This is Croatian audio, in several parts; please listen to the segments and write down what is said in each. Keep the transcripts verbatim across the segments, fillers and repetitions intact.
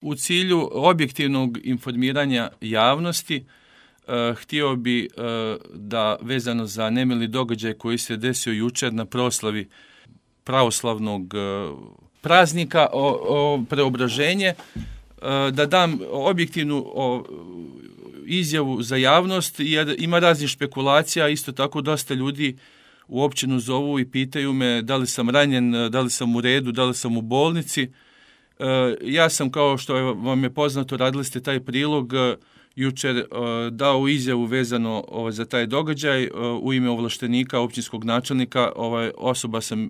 U cilju objektivnog informiranja javnosti uh, htio bi uh, da vezano za nemili događaj koji se desio jučer na proslavi pravoslavnog uh, praznika o, o preobraženje, uh, da dam objektivnu o, izjavu za javnost, jer ima raznih špekulacija, isto tako dosta ljudi u općinu zovu i pitaju me da li sam ranjen, da li sam u redu, da li sam u bolnici. Uh, ja sam, kao što je, vam je poznato, radili ste taj prilog, uh, jučer uh, dao izjavu vezano uh, za taj događaj uh, u ime ovlaštenika, općinskog načelnika. Ovaj, osoba sam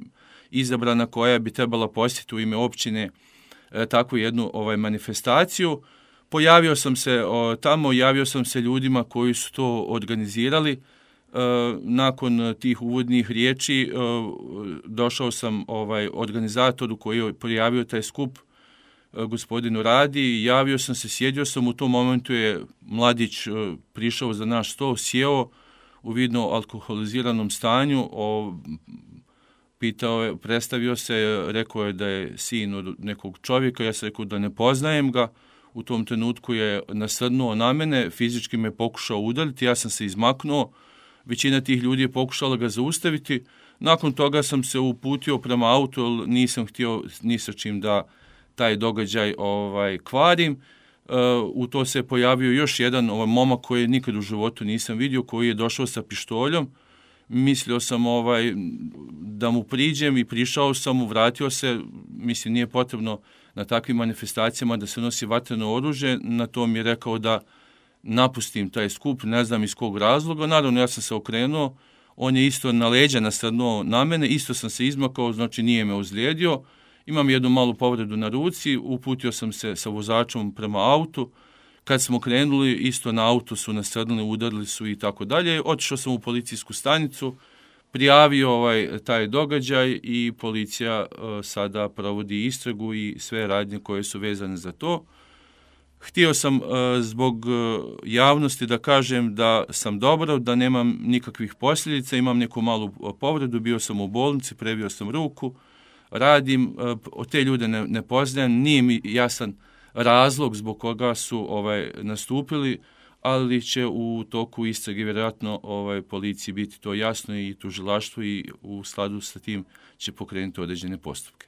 izabrana koja bi trebala posjetiti u ime općine uh, takvu jednu ovaj, manifestaciju. Pojavio sam se uh, tamo, javio sam se ljudima koji su to organizirali. Uh, nakon tih uvodnih riječi uh, došao sam ovaj, organizatoru koji je prijavio taj skup, gospodinu Radi, javio sam se, sjedio sam, u tom momentu je mladić prišao za naš stol, sjeo u vidno alkoholiziranom stanju, o, pitao je, predstavio se, rekao je da je sin od nekog čovjeka, ja sam rekao da ne poznajem ga, u tom trenutku je nasrnuo na mene, fizički me pokušao udariti, ja sam se izmaknuo, većina tih ljudi je pokušala ga zaustaviti, nakon toga sam se uputio prema autu, jer nisam htio ni sa čim da taj događaj ovaj, kvarim. Uh, u to se pojavio još jedan ovaj, momak koji nikad u životu nisam vidio, koji je došao sa pištoljom. Mislio sam ovaj, da mu priđem i prišao sam mu, vratio se. Mislim, nije potrebno na takvim manifestacijama da se nosi vatreno oružje. Na to mi je rekao da napustim taj skup, ne znam iz kog razloga. Naravno, ja sam se okrenuo, on je isto na leđa nasrnuo na mene, isto sam se izmakao, znači nije me ozlijedio. Imam jednu malu povredu na ruci, uputio sam se sa vozačom prema autu. Kad smo krenuli, isto na auto su nasrnuli, udarili su i tako dalje. Otišao sam u policijsku stanicu, prijavio ovaj, taj događaj i policija uh, sada provodi istragu i sve radnje koje su vezane za to. Htio sam uh, zbog uh, javnosti da kažem da sam dobro, da nemam nikakvih posljedica, imam neku malu povredu, bio sam u bolnici, prebio sam ruku, radim, od te ljude ne, ne poznajem, nije mi jasan razlog zbog koga su ovaj, nastupili, ali će u toku istrage vjerojatno ovaj, policiji biti to jasno i tužilaštvu i u skladu sa tim će pokrenuti određene postupke.